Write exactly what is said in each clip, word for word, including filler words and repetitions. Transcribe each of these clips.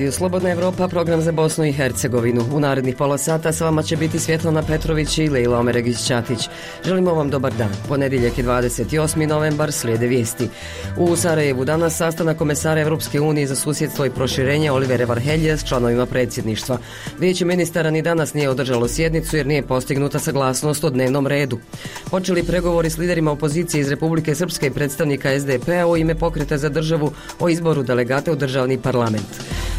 Radio Slobodna Evropa, program za Bosnu i Hercegovinu. U narednih pola sata s vama će biti Svjetlana Petrović i Lejla Omeregić-Ćatić. Želimo vam dobar dan. Ponedjeljak je dvadeset osmi novembar, slijede vijesti. U Sarajevu danas sastanak komesara Evropske unije za susjedstvo i proširenje Olivera Varheljija s članovima predsjedništva. Vijeće ministara ni danas nije održalo sjednicu jer nije postignuta saglasnost o dnevnom redu. Počeli pregovori s liderima opozicije iz Republike Srpske i predstavnika es de pe a u ime Pokreta za državu o izboru delegata u državni parlament.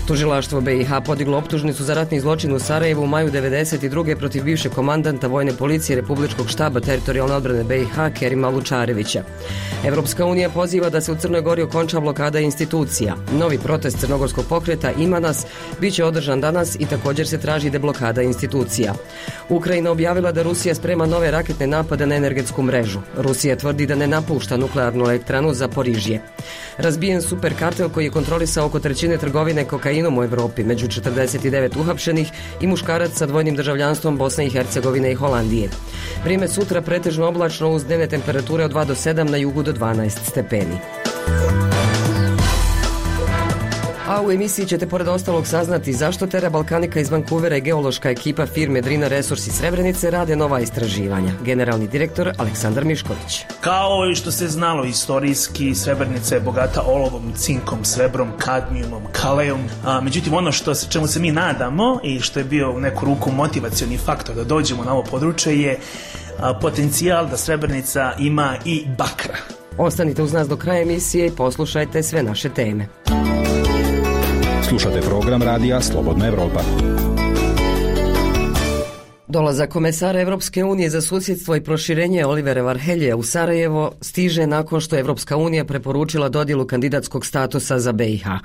Tužilaštvo be i ha podiglo optužnicu za ratni zločin u Sarajevu u maju devedeset druge protiv bivšeg komandanta vojne policije Republičkog štaba teritorijalne odbrane be i ha Kerima Lučarevića. Evropska unija poziva da se u Crnoj Gori okonča blokada institucija. Novi protest crnogorskog pokreta Ima nas bit će održan danas i također se traži deblokada institucija. Ukrajina objavila da Rusija sprema nove raketne napade na energetsku mrežu. Rusija tvrdi da ne napušta nuklearnu elektranu Zaporižje. Razbijen superkartel koji je kontrolisao oko trećine trgovine kokainom u Evropi, među četrdeset devet uhapšenih i muškarac sa dvojnim državljanstvom Bosne i Hercegovine i Holandije. Vrijeme sutra pretežno oblačno uz dnevne temperature od dva do sedam, na jugu do dvanaest stepeni. A u emisiji ćete pored ostalog saznati zašto Terra Balkanika iz Vancouvera i geološka ekipa firme Drina Resurs iz Srebrenice rade nova istraživanja. Generalni direktor Aleksandar Mišković. Kao i što se znalo istorijski, Srebrenica je bogata olovom, cinkom, srebrom, kadmijumom, kalejom. A, međutim, ono što, čemu se mi nadamo i što je bio u neku ruku motivacioni faktor da dođemo na ovo područje je a, potencijal da Srebrenica ima i bakra. Ostanite uz nas do kraja emisije i poslušajte sve naše teme. Slušate program radija Slobodna Evropa. Dolazak komesara Evropske unije za susjedstvo i proširenje Olivera Varheljija u Sarajevo stiže nakon što je Evropska unija preporučila dodjelu kandidatskog statusa za be i ha.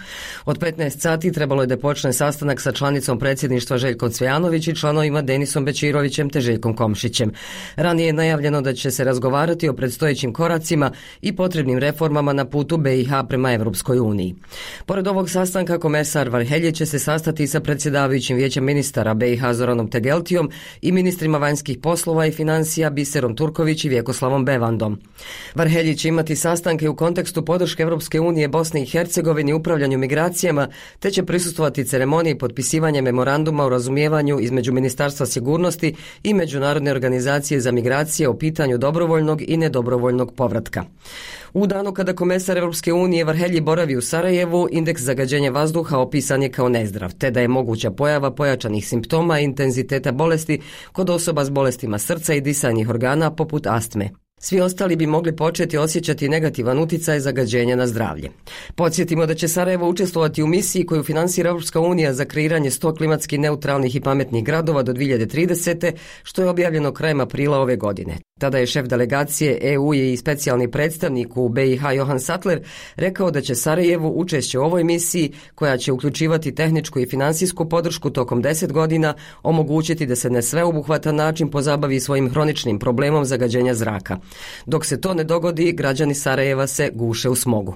Od petnaest sati trebalo je da počne sastanak sa članicom predsjedništva Željkom Cvijanović i članovima Denisom Bećirovićem te Željkom Komšićem. Ranije je najavljeno da će se razgovarati o predstojećim koracima i potrebnim reformama na putu be i ha prema Evropskoj uniji. Pored ovog sastanka, komesar Varhelji će se sastati sa predsjedavajućim vijećem ministara be i ha Zoranom Tegeltijom i ministrima vanjskih poslova i financija Biserom Turković i Vjekoslavom Bevandom. Varhelji će imati sastanke u kontekstu podrške Evropske unije Bosne i Hercegovini u upravljanju migracijama, te će prisustvovati ceremoniji potpisivanja memoranduma o razumijevanju između Ministarstva sigurnosti i Međunarodne organizacije za migracije o pitanju dobrovoljnog i nedobrovoljnog povratka. U danu kada komesar Evropske unije Varhelji boravi u Sarajevu, indeks zagađenja vazduha opisan je kao nezdrav, te da je moguća pojava pojačanih simptoma i intenziteta bolesti kod osoba s bolestima srca i disajnih organa poput astme. Svi ostali bi mogli početi osjećati negativan utjecaj zagađenja na zdravlje. Podsjetimo da će Sarajevo učestvovati u misiji koju finansira Evropska unija za kreiranje sto klimatski neutralnih i pametnih gradova do dvije hiljade tridesete. što je objavljeno krajem aprila ove godine. Tada je šef delegacije e u i specijalni predstavnik u be i ha Johan Sattler rekao da će Sarajevu učešće u ovoj misiji, koja će uključivati tehničku i finansijsku podršku tokom deset godina, omogućiti da se na sveobuhvatan način pozabavi svojim hroničnim problemom zagađenja zraka. Dok se to ne dogodi, građani Sarajeva se guše u smogu.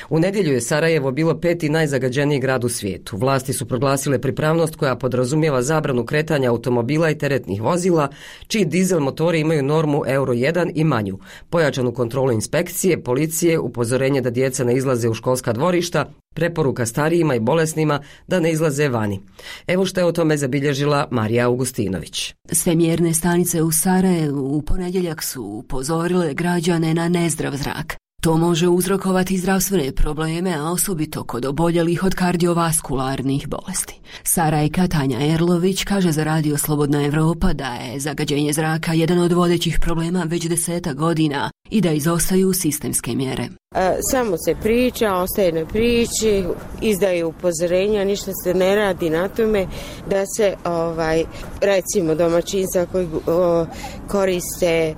U nedjelju je Sarajevo bilo peti najzagađeniji grad u svijetu. Vlasti su proglasile pripravnost koja podrazumijeva zabranu kretanja automobila i teretnih vozila, čiji dizel motori imaju normu euro jedan i manju, pojačanu kontrolu inspekcije, policije, upozorenje da djeca ne izlaze u školska dvorišta, preporuka starijima i bolesnima da ne izlaze vani. Evo što je o tome zabilježila Marija Augustinović. Sve mjerne stanice u Sarajevu u ponedjeljak su upozorile građane na nezdrav zrak. To može uzrokovati zdravstvene probleme, a osobito kod oboljelih od kardiovaskularnih bolesti. Sarajka Tanja Erlović kaže za Radio Slobodna Evropa da je zagađenje zraka jedan od vodećih problema već deseta godina i da izostaju sistemske mjere. E, samo se priča, ostaje na priči, izdaje upozorenja, ništa se ne radi na tome da se ovaj recimo domaćinstva koji o, koriste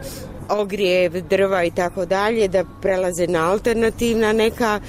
ogrijev, drva i tako dalje, da prelaze na alternativna neka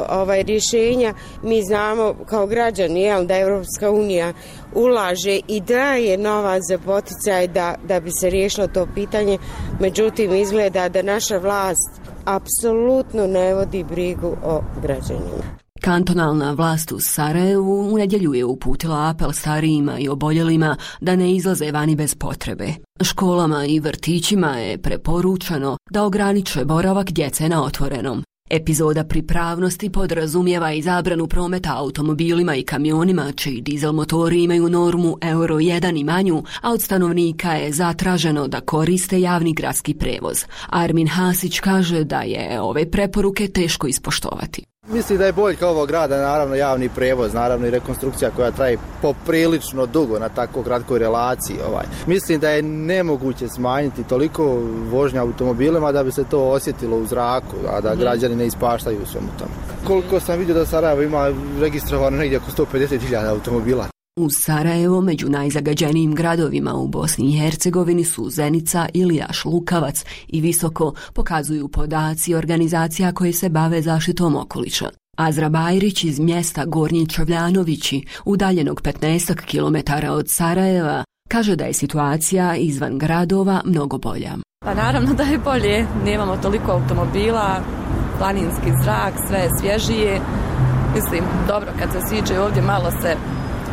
ovaj rješenja. Mi znamo kao građani jel, da Evropska unija ulaže i daje novac za poticaj da, da bi se riješilo to pitanje, međutim izgleda da naša vlast apsolutno ne vodi brigu o građanima. Kantonalna vlast u Sarajevu u nedjelju je uputila apel starijima i oboljelima da ne izlaze vani bez potrebe. Školama i vrtićima je preporučeno da ograniče boravak djece na otvorenom. Epizoda pripravnosti podrazumijeva i zabranu prometa automobilima i kamionima čiji dizel motori imaju normu euro jedan i manju, a od stanovnika je zatraženo da koriste javni gradski prevoz. Armin Hasić kaže da je ove preporuke teško ispoštovati. Mislim da je boljka ovog grada naravno javni prevoz, naravno i rekonstrukcija koja traje poprilično dugo na tako kratkoj relaciji. Ovaj. Mislim da je nemoguće smanjiti toliko vožnja automobilima da bi se to osjetilo u zraku, a da građani ne ispaštaju u svemu tome. Koliko sam vidio da Sarajevo ima registrovano negdje oko sto pedeset hiljada automobila. Uz Sarajevo među najzagađenijim gradovima u Bosni i Hercegovini su Zenica, Ilijaš, Lukavac i Visoko, pokazuju podaci organizacija koje se bave zaštitom okoliša. Azra Bajrić iz mjesta Gornji Čavljanovići, udaljenog petnaest kilometara od Sarajeva, kaže da je situacija izvan gradova mnogo bolja. Pa naravno da je bolje, nemamo toliko automobila, planinski zrak, sve je svježije. Mislim, dobro, kad se siđe ovdje malo se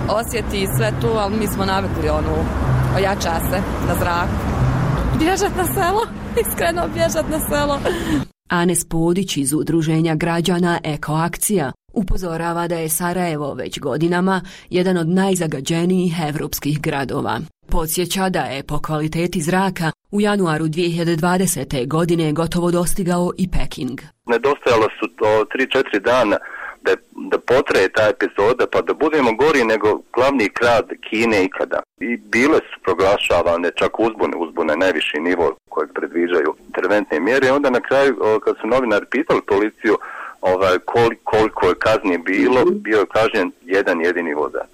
osjeti sve tu, ali mi smo navikli onu, ojača se na zraku. Bježat na selo, iskreno bježat na selo. Anes Podić iz udruženja građana Ekoakcija upozorava da je Sarajevo već godinama jedan od najzagađenijih evropskih gradova. Podsjeća da je po kvaliteti zraka u januaru dvije hiljade dvadesete. godine gotovo dostigao i Peking. Nedostajalo su to tri četiri dana da, da potraje ta epizoda pa da budemo gori nego glavni grad Kine ikada. I bile su proglašavane čak uzbune, uzbune najviši nivo kojeg predviđaju interventne mjere. I onda na kraju kad su novinari pitali policiju ovaj, koliko, koliko je kazni bilo, bio je kažnjen jedan jedini vozač.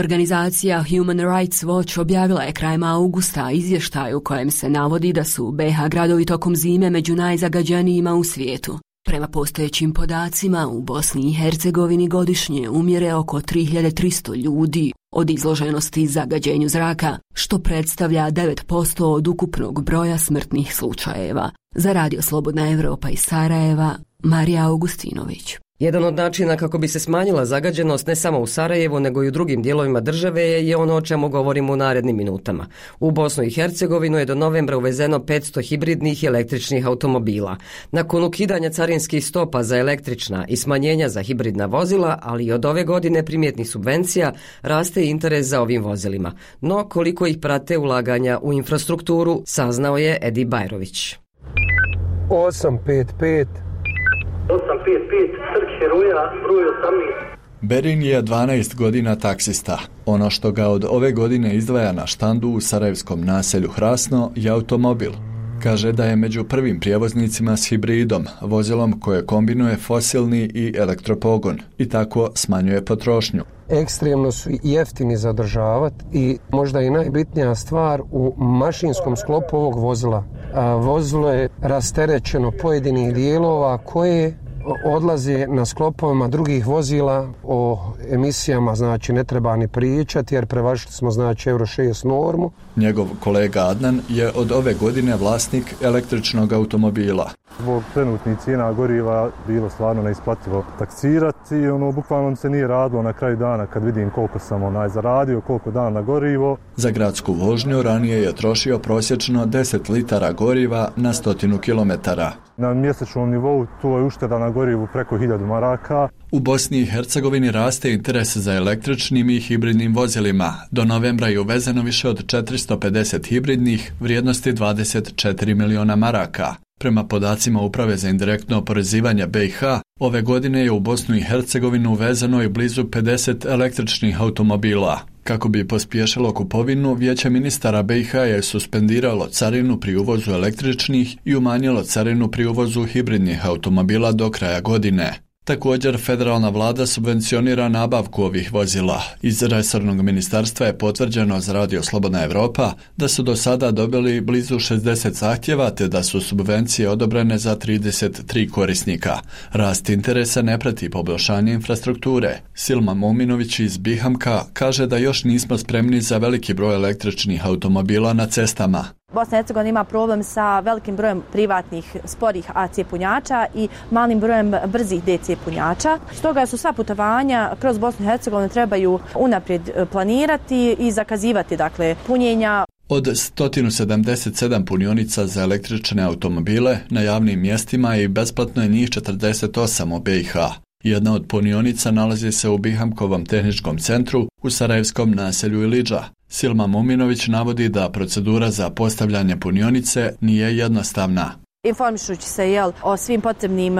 Organizacija Human Rights Watch objavila je krajem augusta izvještaj u kojem se navodi da su B H gradovi tokom zime među najzagađenijima u svijetu. Prema postojećim podacima, u Bosni i Hercegovini godišnje umire oko tri hiljade tristo ljudi od izloženosti zagađenju zraka, što predstavlja devet posto od ukupnog broja smrtnih slučajeva. Za Radio Slobodna Evropa iz Sarajeva, Marija Augustinović. Jedan od načina kako bi se smanjila zagađenost ne samo u Sarajevu nego i u drugim dijelovima države je, je ono o čemu govorimo u narednim minutama. U Bosnu i Hercegovinu je do novembra uvezeno petsto hibridnih i električnih automobila. Nakon ukidanja carinskih stopa za električna i smanjenja za hibridna vozila, ali i od ove godine primjetnih subvencija, raste interes za ovim vozilima. No koliko ih prate ulaganja u infrastrukturu, saznao je Edi Bajrović. osam pet pet osam pet pet, Trg Heroja, broj osamnaest. Berin je dvanaest godina taksista. Ono što ga od ove godine izdvaja na štandu u sarajevskom naselju Hrasno je automobil. Kaže da je među prvim prijevoznicima s hibridom, vozilom koje kombinuje fosilni i elektropogon i tako smanjuje potrošnju. Ekstremno su jeftini za održavati i možda i najbitnija stvar u mašinskom sklopu ovog vozila. A vozilo je rasterećeno pojedinih dijelova koje odlaze na sklopovima drugih vozila. O emisijama znači ne treba ni pričati jer prevažili smo znači euro šest normu. Njegov kolega Adnan je od ove godine vlasnik električnog automobila. Zbog trenutnih cijena goriva bilo stvarno neisplativo taksirati, ono bukvalno se nije radilo na kraju dana kad vidim koliko sam onaj zaradio, koliko dana na gorivo. Za gradsku vožnju ranije je trošio prosječno deset litara goriva na stotinu kilometara. Na mjesečnom nivou to je ušteda na gorivu preko hiljadu maraka. U Bosni i Hercegovini raste interes za električnim i hibridnim vozilima. Do novembra je uvezeno više od četiristo pedeset hibridnih vrijednosti dvadeset četiri miliona maraka. Prema podacima Uprave za indirektno oporezivanje B i H, ove godine je u Bosnu i Hercegovinu uvezeno i blizu pedeset električnih automobila. Kako bi pospješilo kupovinu, Vijeće ministara B i H je suspendiralo carinu pri uvozu električnih i umanjilo carinu pri uvozu hibridnih automobila do kraja godine. Također, federalna vlada subvencionira nabavku ovih vozila. Iz resornog ministarstva je potvrđeno za Radio Slobodna Evropa da su do sada dobili blizu šezdeset zahtjeva te da su subvencije odobrene za trideset tri korisnika. Rast interesa ne prati poboljšanje infrastrukture. Silma Muminović iz Bihamka kaže da još nismo spremni za veliki broj električnih automobila na cestama. Bosna i Hercegovina ima problem sa velikim brojem privatnih sporih A C punjača i malim brojem brzih D C punjača. Stoga su sva putovanja kroz Bosnu i Hercegovinu trebaju unaprijed planirati i zakazivati dakle punjenja. Od sto sedamdeset sedam punionica za električne automobile na javnim mjestima i besplatno je njih četrdeset osam u B i H. Jedna od punionica nalazi se u Bihamkovom tehničkom centru u sarajevskom naselju Ilidža. Silma Muminović navodi da procedura za postavljanje punionice nije jednostavna. Informišući se jel, o svim potrebnim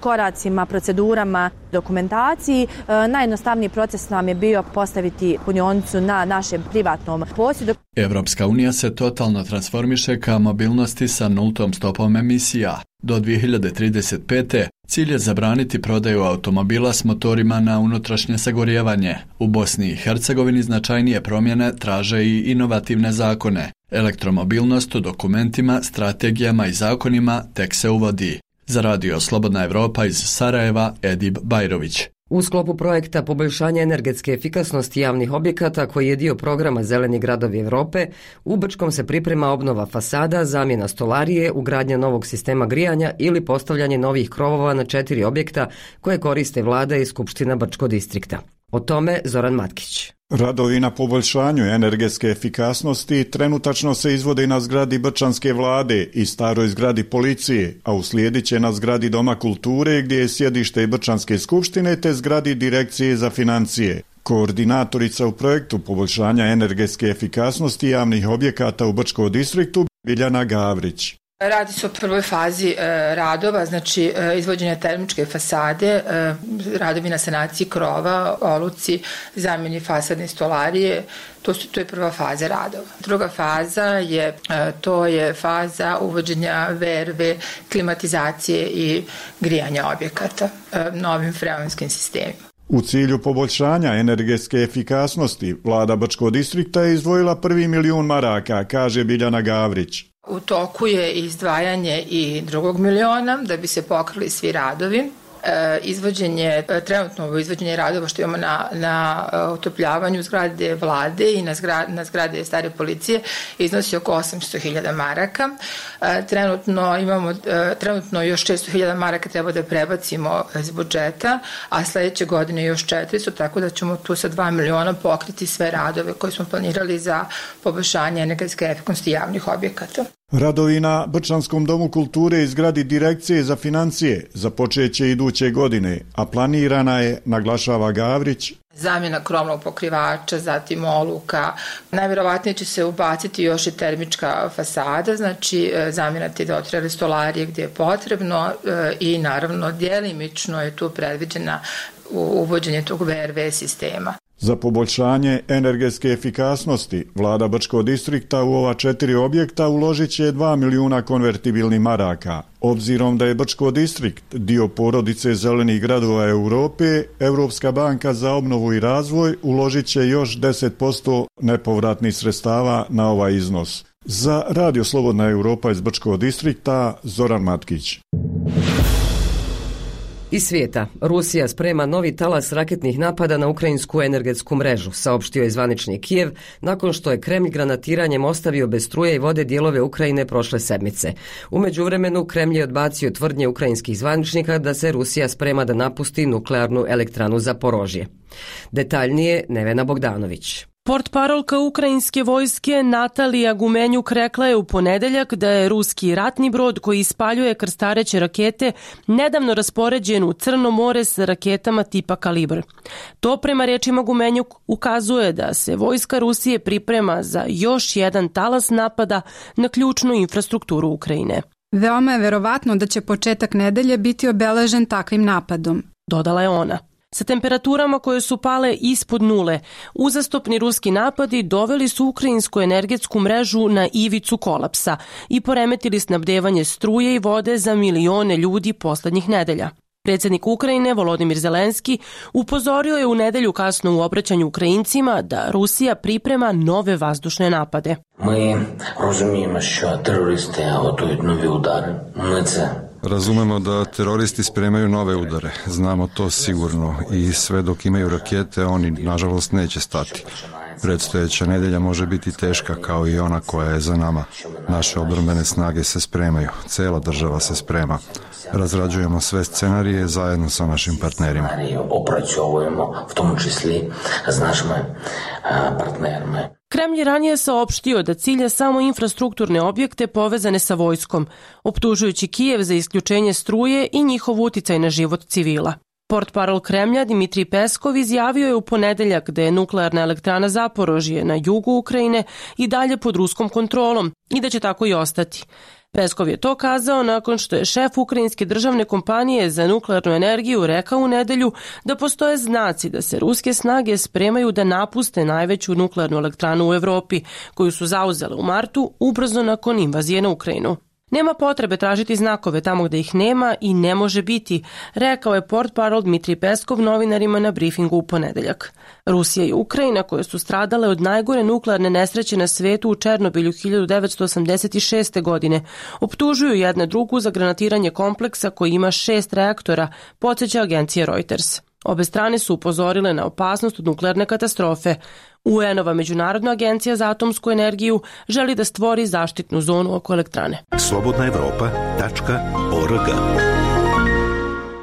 koracima, procedurama, dokumentaciji, najjednostavniji proces nam je bio postaviti punionicu na našem privatnom posjedu. Evropska unija se totalno transformiše ka mobilnosti sa nultom stopom emisija. Do dvije hiljade trideset pete. cilj je zabraniti prodaju automobila s motorima na unutrašnje sagorijevanje. U Bosni i Hercegovini značajnije promjene traže i inovativne zakone. Elektromobilnost u dokumentima, strategijama i zakonima tek se uvodi. Za radio Slobodna Evropa iz Sarajeva, Edib Bajrović. U sklopu projekta poboljšanja energetske efikasnosti javnih objekata, koji je dio programa Zeleni gradovi Europe, u Brčkom se priprema obnova fasada, zamjena stolarije, ugradnja novog sistema grijanja ili postavljanje novih krovova na četiri objekta koje koriste vlada i Skupština Brčkog distrikta. O tome Zoran Matkić. Radovi na poboljšanju energetske efikasnosti trenutačno se izvode na zgradi Brčanske vlade i staroj zgradi policije, a uslijedit će na zgradi Doma kulture gdje je sjedište Brčanske skupštine te zgradi Direkcije za financije. Koordinatorica u projektu poboljšanja energetske efikasnosti javnih objekata u Brčkom distriktu Biljana Gavrić. Radi se o prvoj fazi e, radova, znači e, izvođenja termičke fasade, e, radovi na sanaciji krova, oluci, zamjeni fasadne stolarije, to, su, to je prva faza radova. Druga faza je, e, to je faza uvođenja V R V, klimatizacije i grijanja objekata e, novim freonskim sistemima. U cilju poboljšanja energetske efikasnosti, vlada Brčkog distrikta je izdvojila prvi milijun maraka, kaže Biljana Gavrić. U toku je izdvajanje i drugog miliona da bi se pokrili svi radovi. E, izvođenje, trenutno izvođenje radova što imamo na, na utopljavanju zgrade vlade i na zgrade, na zgrade stare policije iznosi oko osamsto hiljada maraka. E, trenutno imamo, e, trenutno još šesto hiljada maraka treba da prebacimo iz budžeta, a sljedeće godine još četiristo, tako da ćemo tu sa dva miliona pokriti sve radove koje smo planirali za poboljšanje energetske efikasnosti javnih objekata. Radovi na Brčanskom domu kulture i zgradi Direkcije za financije započeće iduće godine, a planirana je, naglašava Gavrić, zamjena krovnog pokrivača, zatim oluka. Najvjerovatnije će se ubaciti još i termička fasada, znači zamjena te dotrajale stolarije gdje je potrebno i naravno djelimično je tu predviđena uvođenje tog V R V sistema. Za poboljšanje energetske efikasnosti vlada Brčkog distrikta u ova četiri objekta uložit će dva milijuna konvertibilnih maraka. Obzirom da je Brčko distrikt dio porodice zelenih gradova Europe, Europska banka za obnovu i razvoj uložit će još deset posto nepovratnih sredstava na ovaj iznos. Za radio Slobodna Europa iz Brčkog distrikta, Zoran Matkić. Iz svijeta, Rusija sprema novi talas raketnih napada na ukrajinsku energetsku mrežu, saopštio je zvanični Kijev, nakon što je Kremlj granatiranjem ostavio bez struje i vode dijelove Ukrajine prošle sedmice. U međuvremenu Kremlj je odbacio tvrdnje ukrajinskih zvaničnika da se Rusija sprema da napusti nuklearnu elektranu Zaporožje. Detaljnije Nevena Bogdanović. Portparolka ukrajinske vojske Natalija Gumenjuk rekla je u ponedeljak da je ruski ratni brod koji ispaljuje krstareće rakete nedavno raspoređen u Crno more sa raketama tipa Kalibr. To prema riječima Gumenjuk ukazuje da se vojska Rusije priprema za još jedan talas napada na ključnu infrastrukturu Ukrajine. Veoma je verovatno da će početak nedelje biti obeležen takvim napadom, dodala je ona. Sa temperaturama koje su pale ispod nule, uzastopni ruski napadi doveli su ukrajinsku energetsku mrežu na ivicu kolapsa i poremetili snabdevanje struje i vode za milione ljudi posljednjih nedelja. Predsjednik Ukrajine Volodimir Zelenski upozorio je u nedjelju kasno u obraćanju Ukrajincima da Rusija priprema nove vazdušne napade. Mi razumijemo što teroristi готують нові удари. Ми це Razumemo da teroristi spremaju nove udare. Znamo to sigurno i sve dok imaju rakete, oni nažalost neće stati. Predstojeća nedjelja može biti teška kao i ona koja je za nama. Naše obrambene snage se spremaju. Cela država se sprema. Razrađujemo sve scenarije zajedno sa našim partnerima. Opracjovujemo, v tomu čислі з нашими партнерами. Kremlj je ranije saopštio da cilja samo infrastrukturne objekte povezane sa vojskom, optužujući Kijev za isključenje struje i njihov uticaj na život civila. Portparol Kremlja Dmitrij Peskov izjavio je u ponedeljak da je nuklearna elektrana Zaporožje na jugu Ukrajine i dalje pod ruskom kontrolom i da će tako i ostati. Peskov je to kazao nakon što je šef ukrajinske državne kompanije za nuklearnu energiju rekao u nedelju da postoje znaci da se ruske snage spremaju da napuste najveću nuklearnu elektranu u Evropi, koju su zauzele u martu ubrzo nakon invazije na Ukrajinu. Nema potrebe tražiti znakove tamo gde ih nema i ne može biti, rekao je portparol Dmitrij Peskov novinarima na brifingu u ponedeljak. Rusija i Ukrajina, koje su stradale od najgore nuklearne nesreće na svetu u Černobilju hiljadu devetsto osamdeset šeste. godine, optužuju jedna drugu za granatiranje kompleksa koji ima šest reaktora, podsjeća agencija Reuters. Obe strane su upozorile na opasnost od nuklearne katastrofe. U en-ova Međunarodna agencija za atomsku energiju želi da stvori zaštitnu zonu oko elektrane. slobodna evropa tačka org.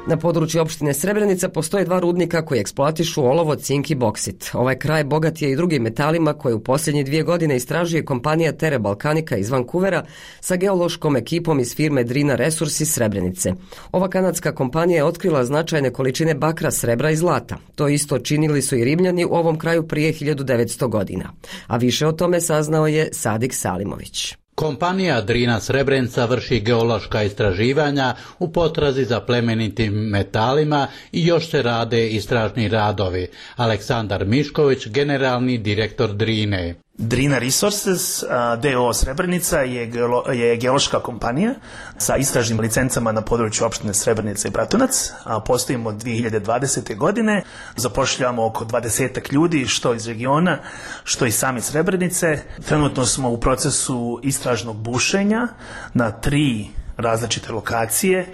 Na području opštine Srebrenica postoje dva rudnika koji eksploatišu olovo, cink i boksit. Ovaj kraj bogat je i drugim metalima koje u posljednje dvije godine istražuje kompanija Tere Balkanika iz Vancouvera sa geološkom ekipom iz firme Drina Resurs iz Srebrenice. Ova kanadska kompanija je otkrila značajne količine bakra, srebra i zlata. To isto činili su i Rimljani u ovom kraju prije hiljadu devetsto godina. A više o tome saznao je Sadik Salimović. Kompanija Drina Srebrenica vrši geološka istraživanja u potrazi za plemenitim metalima i još se rade istražni radovi. Aleksandar Mišković, generalni direktor Drine. Drina Resources d o o Srebrenica je, geolo, je geološka kompanija sa istražnim licencama na području opštine Srebrenica i Bratunac. A postojimo od dvije hiljade dvadesete. godine. Zapošljavamo oko dvadesetak ljudi, što iz regiona, što iz same Srebrenice. Trenutno smo u procesu istražnog bušenja na tri različite lokacije,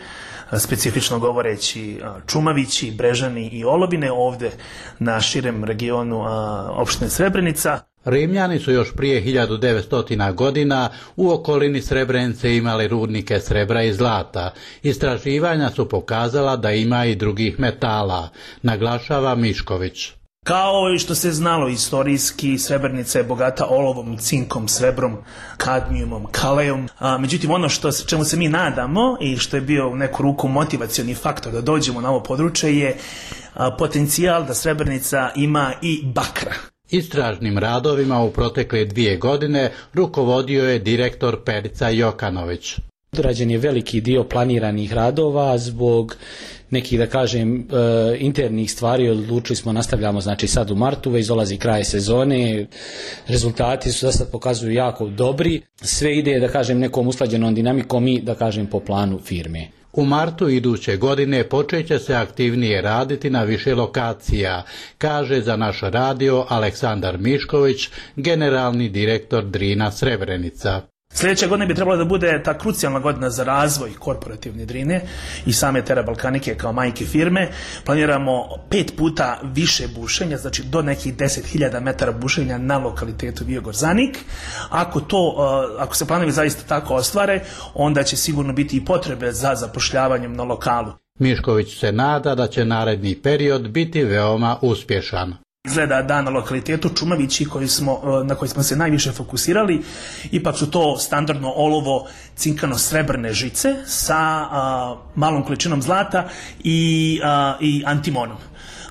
specifično govoreći Čumavići, Brežani i Olobine, ovdje na širem regionu opštine Srebrenica. Rimljani su još prije hiljadu devetsto. godina u okolini Srebrenice imali rudnike srebra i zlata. Istraživanja su pokazala da ima i drugih metala, naglašava Mišković. Kao i što se znalo istorijski, Srebrenica je bogata olovom, cinkom, srebrom, kadmijumom, kalejom. A, međutim, ono što, čemu se mi nadamo i što je bio u neku ruku motivacioni faktor da dođemo na ovo područje je a, potencijal da Srebrenica ima i bakra. Istražnim radovima u protekle dvije godine rukovodio je direktor Perica Jokanović. Odrađen je veliki dio planiranih radova zbog nekih, da kažem, internih stvari. Odlučili smo, nastavljamo znači sad u martu, već dolazi kraj sezone, rezultati su da sad pokazuju jako dobri, sve ide, da kažem, nekom usklađenom dinamikom i, da kažem, po planu firme. U martu iduće godine počeće se aktivnije raditi na više lokacija, kaže za naš radio Aleksandar Mišković, generalni direktor Drina Srebrenica. Sljedeća godina bi trebala da bude ta krucijalna godina za razvoj korporativne Drine i same Tere Balkanike kao majke firme. Planiramo pet puta više bušenja, znači do nekih deset hiljada metara bušenja na lokalitetu Viogorzanik. Ako to, ako se planovi zaista tako ostvare, onda će sigurno biti i potrebe za zapošljavanjem na lokalu. Mišković se nada da će naredni period biti veoma uspješan. Izgleda da na lokalitetu Čumavići koji smo, na koji smo se najviše fokusirali, ipak su to standardno olovo cinkano-srebrne žice sa a, malom količinom zlata i, a, i antimonom.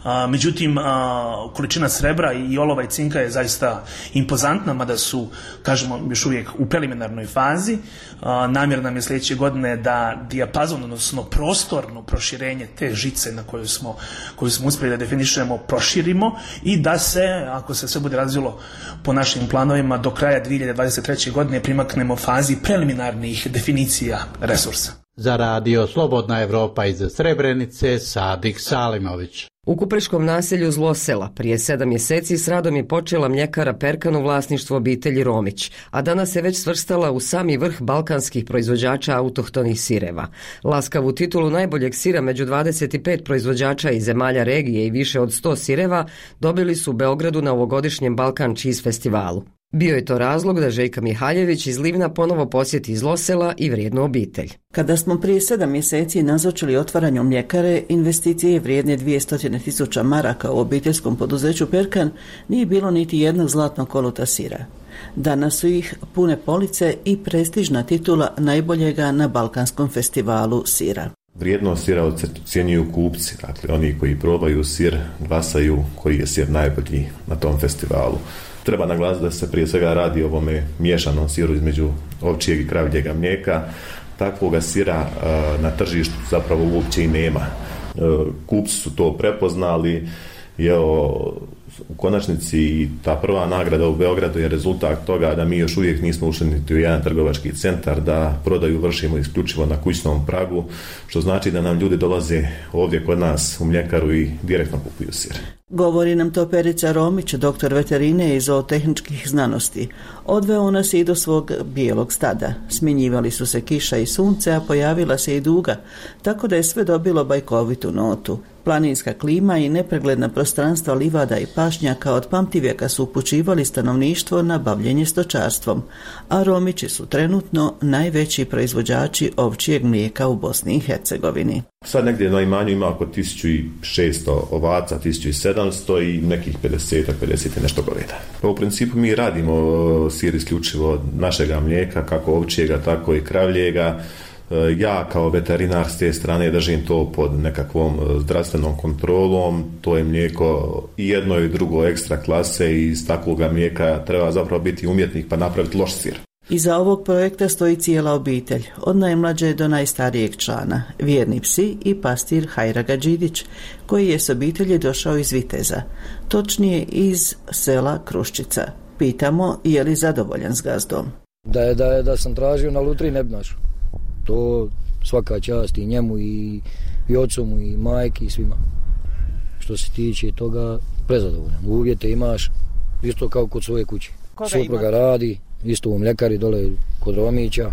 A, međutim, a, količina srebra i olova i cinka je zaista impozantna, mada su, kažemo, još uvijek u preliminarnoj fazi. A, namjer nam je sljedeće godine da dijapazon, odnosno prostorno proširenje te žice na koju smo, koju smo uspjeli da definišemo, proširimo i da se, ako se sve bude razvilo po našim planovima, do kraja dvije hiljade dvadeset treće. godine primaknemo fazi preliminarnih definicija resursa. Za radio Slobodna Evropa iz Srebrenice, Sadik Salimović. U kupreškom naselju Zlosela prije sedam mjeseci s radom je počela mljekara Perkan u vlasništvu obitelji Romić, a danas se već svrstala u sami vrh balkanskih proizvođača autohtonih sireva. Laskavu titulu najboljeg sira među dvadeset pet proizvođača iz zemalja regije i više od sto sireva dobili su u Beogradu na ovogodišnjem Balkan Cheese festivalu. Bio je to razlog da Željka Mihaljević iz Livna ponovo posjeti Zlosela i vrijednu obitelj. Kada smo prije sedam mjeseci nazočili otvaranju mljekare, investicije vrijedne dvjesto tisuća maraka u obiteljskom poduzeću Perkan, nije bilo niti jednog zlatnog koluta sira. Danas su ih pune police i prestižna titula najboljega na Balkanskom festivalu sira. Vrijednost sira ocjenjuju kupci, dakle oni koji probaju sir glasaju koji je sir najbolji na tom festivalu. Treba naglasiti da se prije svega radi o ovome miješanom siru između ovčjeg i kravljega mlijeka. Takvoga sira na tržištu zapravo uopće i nema. Kupci su to prepoznali i evo, u konačnici ta prva nagrada u Beogradu je rezultat toga da mi još uvijek nismo ušli niti u jedan trgovački centar, da prodaju vršimo isključivo na kućnom pragu, što znači da nam ljudi dolaze ovdje kod nas u mljekaru i direktno kupuju sir. Govori nam to Perica Romić, doktor veterine i zootehničkih znanosti. Odveo nas i do svog bijelog stada. Smjenjivali su se kiša i sunce, a pojavila se i duga, tako da je sve dobilo bajkovitu notu. Planinska klima i nepregledna prostranstva livada i pašnjaka od pamtivijeka su upućivali stanovništvo na bavljenje stočarstvom, a Romići su trenutno najveći proizvođači ovčijeg mlijeka u Bosni i Hercegovini. Sad negdje na imanju ima oko tisuću šesto ovaca, tisuću sedamsto i nekih pedeset, pedeset i nešto goveda. Pa u principu mi radimo sir isključivo našega mlijeka, kako ovčijega, tako i kravljega. Ja kao veterinar s te strane držim to pod nekakvom zdravstvenom kontrolom, to je mlijeko i jedno i drugo ekstra klase i iz takvoga mlijeka treba zapravo biti umjetnik pa napraviti loš sir. Iza ovog projekta stoji cijela obitelj, od najmlađe do najstarijeg člana, vjerni psi i pastir Hajraga Đidić, koji je s obitelji došao iz Viteza, točnije iz sela Kruščica. Pitamo je li zadovoljan s gazdom. Da je, da je, da sam tražio na lutriji ne bi našao. To svaka čast i njemu i, i ocu i majki i svima. Što se tiče toga, prezadovoljan. Uvjete imaš isto kao kod svoje kuće. Supruga radi, isto u mljekari dole kod Romića.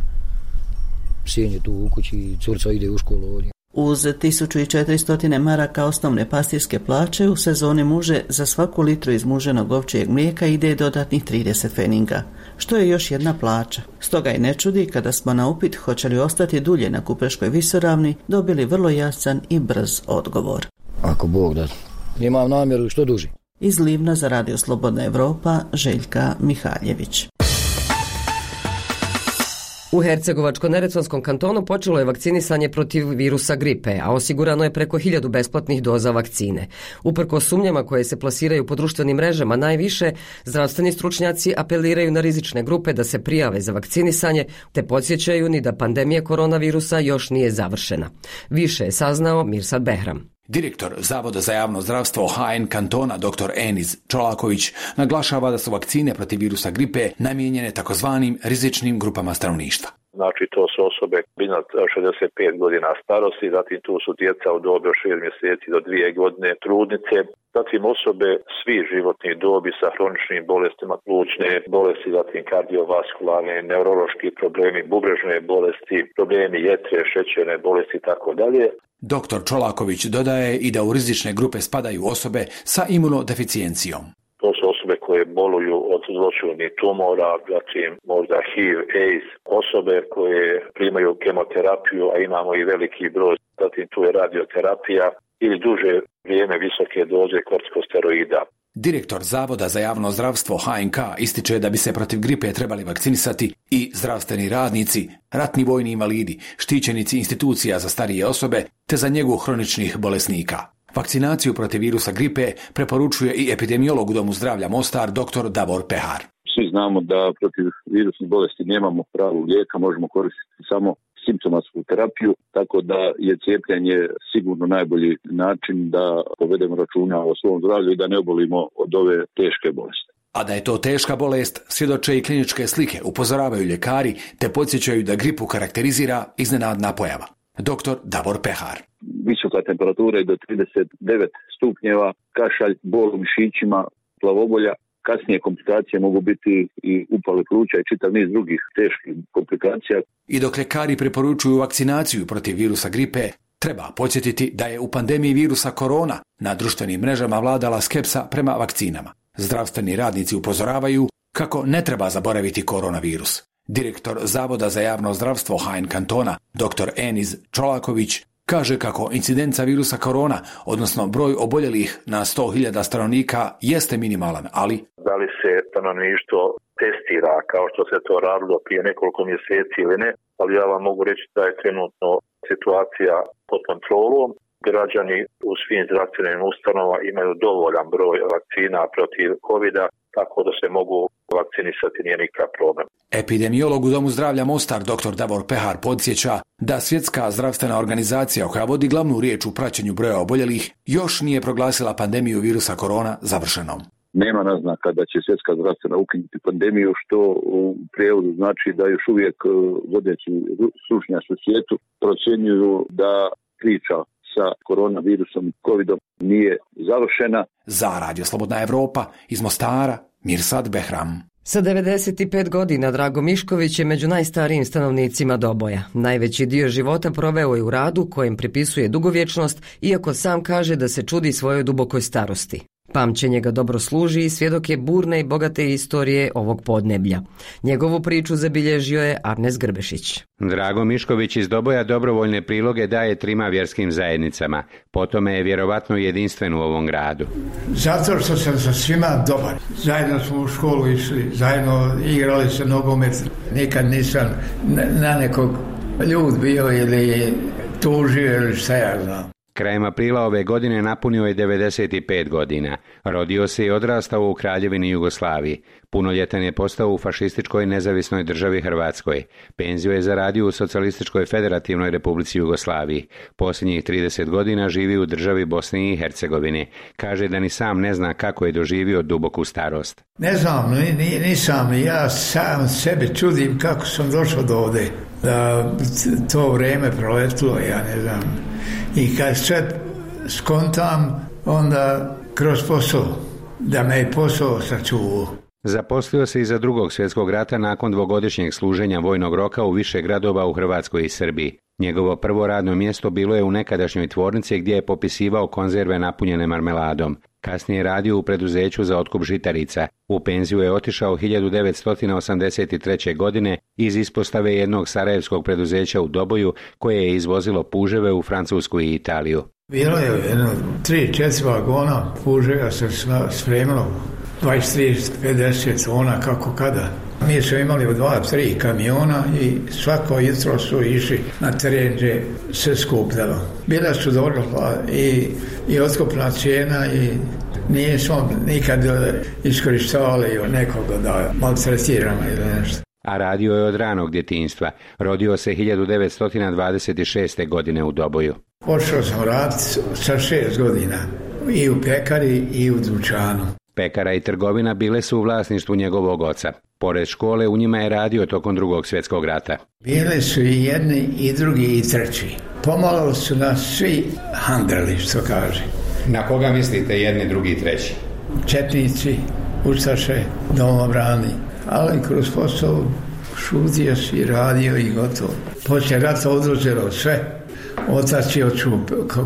Sin je tu u kući, curca ide u školu ovdje. Uz tisuću četiristo maraka osnovne pastirske plaće u sezoni muže za svaku litru izmuženog ovčijeg mlijeka ide dodatnih trideset feninga, što je još jedna plaća. Stoga i ne čudi kada smo na upit hoće li ostati dulje na Kupreškoj visoravni dobili vrlo jasan i brz odgovor. Ako Bog da, imam namjeru što duži. Iz Livna za Radio Slobodna Evropa, Željka Mihaljević. U Hercegovačko-neretvonskom kantonu počelo je vakcinisanje protiv virusa gripe, a osigurano je preko hiljadu besplatnih doza vakcine. Uprkos sumnjama koje se plasiraju po društvenim mrežama najviše, zdravstveni stručnjaci apeliraju na rizične grupe da se prijave za vakcinisanje, te podsjećaju ni da pandemija koronavirusa još nije završena. Više je saznao Mirsad Behram. Direktor Zavoda za javno zdravstvo H N kantona dr Eniz Čolaković naglašava da su vakcine protiv virusa gripe namijenjene takozvanim rizičnim grupama stanovništva. Znači to su osobe iznad šezdeset pet godina starosti, zatim tu su djeca u dobi od šest mjeseci do dvije godine, trudnice, zatim osobe svi životnih dobi sa hroničnim bolestima, plućne bolesti, zatim kardiovaskularne, neurološki problemi, bubrežne bolesti, problemi jetre, šećerne bolesti i tako dalje. Doktor Čolaković dodaje i da u rizične grupe spadaju osobe sa imunodeficijencijom. To su osobe koje boluju od zloćudnih tumora, zatim možda H I V, AIDS, osobe koje primaju kemoterapiju, a imamo i veliki broj, zatim tu je radioterapija ili duže vrijeme visoke doze kortikosteroida. Direktor Zavoda za javno zdravstvo H N K ističe da bi se protiv gripe trebali vakcinisati i zdravstveni radnici, ratni vojni invalidi, štićenici institucija za starije osobe te za njegu hroničnih bolesnika. Vakcinaciju protiv virusa gripe preporučuje i epidemiolog u Domu zdravlja Mostar dr Davor Pehar. Svi znamo da protiv virusnih bolesti nemamo pravu lijeka, možemo koristiti samo simptomatsku terapiju, tako da je cijepljenje sigurno najbolji način da povedemo računa o svom zdravlju i da ne obolimo od ove teške bolesti. A da je to teška bolest, svjedoče i kliničke slike, upozoravaju ljekari te podsjećaju da gripu karakterizira iznenadna pojava. Doktor Davor Pehar. Visoka temperatura je do trideset devet stupnjeva, kašalj, bol u mišićima, glavobolja. Kasnije komplikacije mogu biti i upale pluća i čitav niz drugih teških komplikacija. I dok ljekari preporučuju vakcinaciju protiv virusa gripe, treba podsjetiti da je u pandemiji virusa korona na društvenim mrežama vladala skepsa prema vakcinama. Zdravstveni radnici upozoravaju kako ne treba zaboraviti koronavirus. Direktor Zavoda za javno zdravstvo H N kantona, dr Enis Čolaković, kaže kako incidenca virusa korona, odnosno broj oboljelih na sto hiljada stanovnika, jeste minimalan, ali... Da li se stanovništvo testira kao što se to radilo prije nekoliko mjeseci ili ne, ali ja vam mogu reći da je trenutno situacija pod kontrolom. Građani u svim zdravstvenim ustanovama imaju dovoljan broj vakcina protiv kovida, tako da se mogu vakcinisati, nije nikakav problem. Epidemiolog u Domu zdravlja Mostar, dr Davor Pehar, podsjeća da Svjetska zdravstvena organizacija, koja vodi glavnu riječ u praćenju broja oboljelih, još nije proglasila pandemiju virusa korona završenom. Nema naznaka da će Svjetska zdravstvena ukinuti pandemiju, što u prijevodu znači da još uvijek vodeći stručnjaci u svijetu procjenjuju da priča sa koronavirusom i covidom nije završena. Za Radio Slobodna Evropa iz Mostara, Mirsad Behram. Sa devedeset pet godina Drago Mišković je među najstarijim stanovnicima Doboja. Najveći dio života proveo je u radu kojem pripisuje dugovječnost, iako sam kaže da se čudi svojoj dubokoj starosti. Pamćenje ga dobro služi i svjedok je burne i bogate istorije ovog podneblja. Njegovu priču zabilježio je Arnes Grbešić. Drago Mišković iz Doboja dobrovoljne priloge daje trima vjerskim zajednicama. Po tome je vjerovatno jedinstven u ovom gradu. Zato što sam sa svima dobar. Zajedno smo u školu išli, zajedno igrali se nogomet. Nikad nisam na nekog ljud bio ili tužio ili šta ja znam. Krajem aprila ove godine napunio je devedeset pet godina. Rodio se i odrastao u Kraljevini Jugoslaviji. Punoljetan je postao u fašističkoj nezavisnoj državi Hrvatskoj. Penziju je zaradio u Socijalističkoj federativnoj republici Jugoslaviji. Posljednjih trideset godina živi u državi Bosne i Hercegovine. Kaže da ni sam ne zna kako je doživio duboku starost. Ne znam, nisam. Ja sam sebi čudim kako sam došao do ovdje. Da to vrijeme proletilo, ja ne znam. I kad sve skontam, onda kroz posao, da me i posao sačuvao. Zaposlio se iza drugog svjetskog rata nakon dvogodišnjeg služenja vojnog roka u više gradova u Hrvatskoj i Srbiji. Njegovo prvo radno mjesto bilo je u nekadašnjoj tvornici gdje je popisivao konzerve napunjene marmeladom. Kasnije je radio u preduzeću za otkup žitarica. U penziju je otišao hiljadu devetsto osamdeset treće. godine iz ispostave jednog sarajevskog preduzeća u Doboju koje je izvozilo puževe u Francusku i Italiju. Bilo je jedno tri, četiri vagona puževa se spremilo, dvadeset, trideset, pedeset tona kako kada. Mi smo imali dva, tri kamiona i svako jutro su išli na teren gdje se skupljalo. Bila su dobro i, i otkupna cijena i nismo nikad iskorištavali nekoga da maltretiramo ili nešto. A radio je od ranog djetinjstva. Rodio se hiljadu devetsto dvadeset šeste. godine u Doboju. Počeo sam raditi sa šest godina i u pekari i u dućanu. Pekara i trgovina bile su u vlasništvu njegovog oca. Pored škole u njima je radio tokom drugog svjetskog rata. Bili su i jedni i drugi i treći. Pomalo su nas svi handrali, što kaže. Na koga mislite jedni, drugi i treći? Četnici, ustaše, domobrani. Ali kroz posao šutio si, radio i gotovo. Poslije rata oduzelo sve. Otac je otišao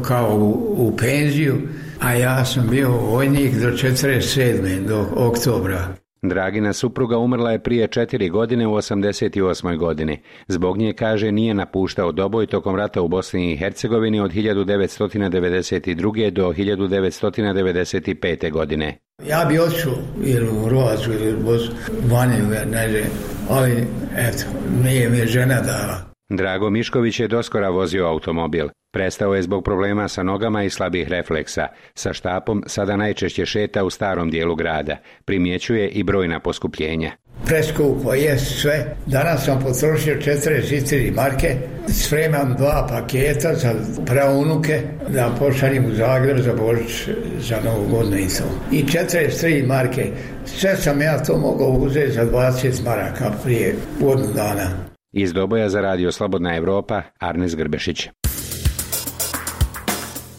kao u, u penziju, a ja sam bio vojnik do četrdeset sedme. do oktobra. Dragina supruga umrla je prije četiri godine u osamdeset osmoj. godini. Zbog nje, kaže, nije napuštao Doboj tokom rata u Bosni i Hercegovini od hiljadu devetsto devedeset druge. do hiljadu devetsto devedeset pete. godine. Ja bi otišao ili u Hrvatsku ili u Bosnu, vani, ne znam, ali eto, nije mi žena dala. Drago Mišković je doskora vozio automobil. Prestao je zbog problema sa nogama i slabih refleksa. Sa štapom sada najčešće šeta u starom dijelu grada. Primjećuje i brojna poskupljenja. Preskupo je sve. Danas sam potrošio četrdeset četiri marke. Spremam dva paketa za praunuke da pošaljem u Zagreb za Božić, za Novu godinu i to. I četrdeset tri marke. Sve sam ja to mogao uzeti za dvadeset maraka prije godinu dana. Iz Doboja za Radio Slobodna Evropa, Arnes Grbešić.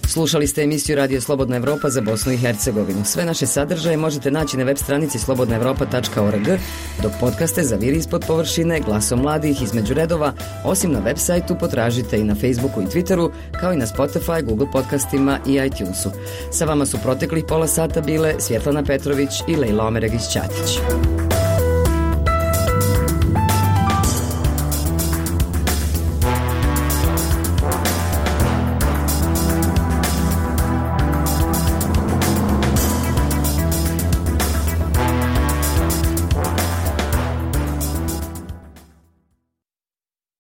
Slušali ste emisiju Radio Slobodna Evropa za Bosnu i Hercegovinu. Sve naše sadržaje možete naći na web stranici slobodna evropa tačka org, dok podcaste za Viri ispod površine, Glasom mladih, Između redova, osim na web sajtu potražite i na Facebooku i Twitteru, kao i na Spotify, Google podcastima i iTunesu. Sa vama su proteklih pola sata bile Svjetlana Petrović i Lejla Omeregić-Ćatić.